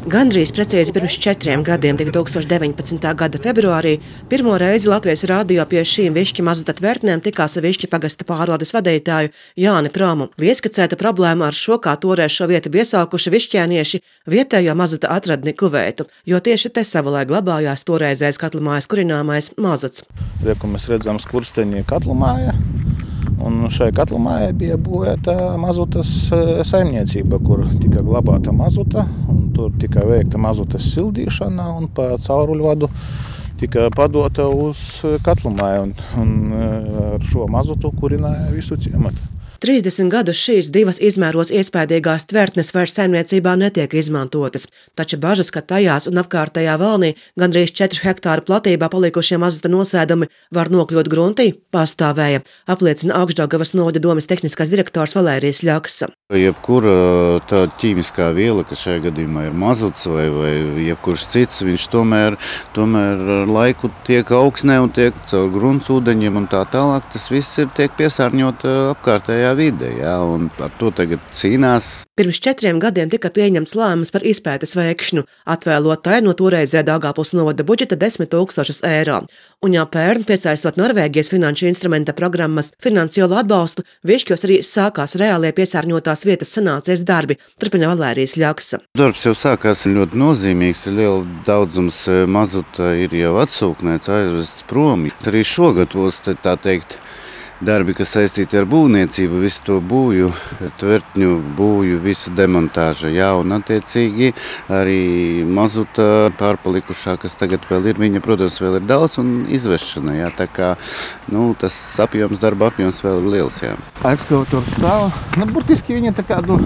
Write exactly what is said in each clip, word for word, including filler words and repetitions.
Gandrīz precīzi pirms četriem gadiem, divus tūkstoši deviņpadsmitā gada februārī, pirmo reizi Latvijas radio pie šīm Višķi mazota tvertnēm tikās ar Višķi pagasta pārvaldes vadītāju Jāni Promu. Ieskicēta problēma ar šo, kā toreiz šo vietu piesaukuši višķēnieši, vietējo mazota atradni Kuveitu, jo tieši te savulaik glabājās toreizējais katlumājas kurināmais mazots. Rieku mēs redzam Skursteņa katlumāja. Un šai katlumājai bija būvēta mazotas saimniecība, kur tika glabāta mazota, un tur tika veikta mazotas sildīšana, un pa cauruļvadu tika padota uz katlumāju, un, un ar šo mazotu kurināja visu ciematu. trīsdesmit gadus šīs divas izmēros iespējīgās tvertnes vairs saimniecībā netiek izmantotas, taču bažas, ka tajās un apkārtējā valnī gandrīz četru hektāru platībā palikušie mazota nosēdumi var nokļūt gruntī, pastāvēja, apliecina Augšdaugavas novada domes tehniskais direktors Valērijs Ļaks. Jebkura tāda ķīmiskā viela, kas šajā gadījumā ir mazots vai, vai jebkurš cits, viņš tomēr, tomēr ar laiku tiek augsnē un tiek caur gruntsūdeņiem un tā tālāk. Tas viss ir tiek piesārņot apkārtējā vide, jā, un ar to tagad cīnās. Pirms četriem gadiem tika pieņemts lēmums par izpētes veikšanu, atvēlot tai no toreizē Daugavpils novada budžeta desmit tūkstošus eiro. Un jau pērn, piesaistot Norvēģijas finanšu instrumenta programmas finansiālo atbalstu, Višķos arī sākās reālie piesārņotās vietas sanācijas darbi, turpina Valērijs Ļaks. Darbs jau sākās ļoti nozīmīgs, liela daudzums mazota ir jau atsūknēts, aizvests prom. Arī šogad būs, tā teikt, darbi, kas saistīti ar būvniecību, visu to būju, tvertņu būju, visu demontāža, jā, un attiecīgi arī mazota pārpalikušā, kas tagad vēl ir, viņa, protams, vēl ir daudz un izvešana, jā, tā kā, nu, tas apjoms, darba apjoms vēl ir liels, jā. Ekskavators stāv, nu, burtiski viņa tā kādu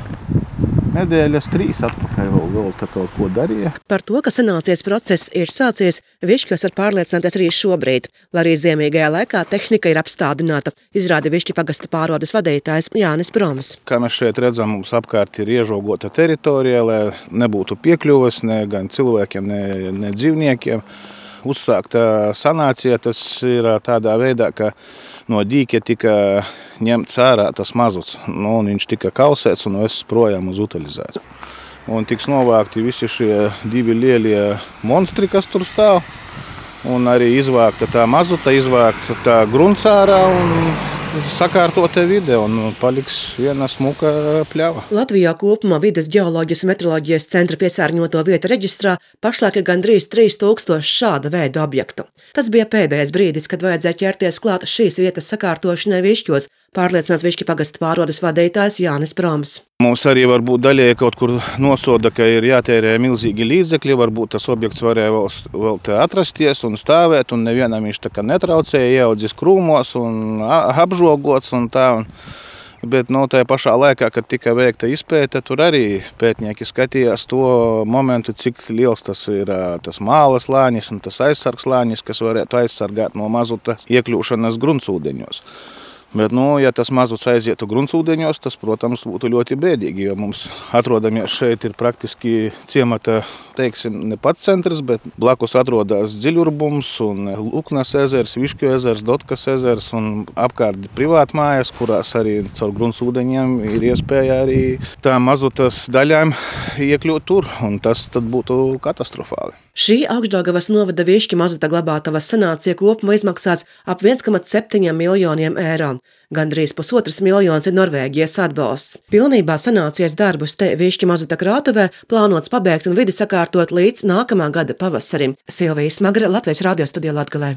nedēļas trīs atpakaļ vēl, vēl tā kaut ko darīja. Par to, ka sanācijas process ir sācies, Višķos var pārliecināties arī šobrīd, lai arī ziemīgajā laikā tehnika ir apstādināta, izrāda Višķi pagasta pārvaldes vadītājs Jānis Proms. Kā mēs šeit redzam, mums apkārt ir iežogota teritorija, lai nebūtu piekļuves ne gan cilvēkiem, ne, ne dzīvniekiem. Uzsākta sanācija, tas ir tādā veidā, ka no dīķa tika ņemts ārā tas mazots, nu, un viņš tika kausēts un viss projām uz utilizēts. Un tiks novākti visi šie divi lielie monstri, kas tur stāv, un arī izvākta tā mazota, izvākta tā grunts ārā un sakārtota vide, un paliks viena smuka pļava. Latvijā kopumā vides ģeoloģijas un meteoroloģijas centra piesārņoto vietu reģistrā pašlaik ir gandrīz trīs tūkstoši šāda veida objektu. Tas bija pēdējais brīdis, kad vajadzēja ķerties klāt šīs vietas sakārtošanai Višķos, pārliecināts Višķi pagasta pārvaldes vadītājs Jānis Proms. Mums arī varbūt daļai kaut kur nosoda, ka ir jātērē milzīgi līdzekļi, varbūt tas objekts varēja vēl, vēl te atrasties un stāvēt, un nevienam viņš tā kā netraucēja, ieaudzis krūmos un apžogots un tā. Un, bet no tajā pašā laikā, kad tika veikta izpēte, tur arī pētnieki skatījās to momentu, cik liels tas ir tas māla slānis un tas aizsargs slānis, kas varētu aizsargāt no mazota iekļūšanas gruntsūdeņos. Bet, nu, ja tas mazots aizietu gruntsūdeņos, tas, protams, būtu ļoti bēdīgi, jo mums atrodamies šeit ir praktiski ciemata, teiksim, ne pats centrs, bet blakus atrodas Dziļurbums un Luknas ezers, Višķu ezers, Dotkas ezers un apkārt privāti mājas, kurās arī caur gruntsūdeņiem ir iespēja arī tām mazotas daļām iekļūt tur, un tas tad būtu katastrofāli. Šī Augšdaugavas novada Višķi mazota glabātavas sanācija kopumā izmaksās ap viens komats septiņi miljoniem eiro. Gandrīz pusotras miljonas ir Norvēģijas atbalsts. Pilnībā sanācijas darbus te Višķi mazota krātuvē plānots pabeigt un vidi sakārtot līdz nākamā gada pavasarim. Silvija Smagra, Latvijas radio studijā Latgalē.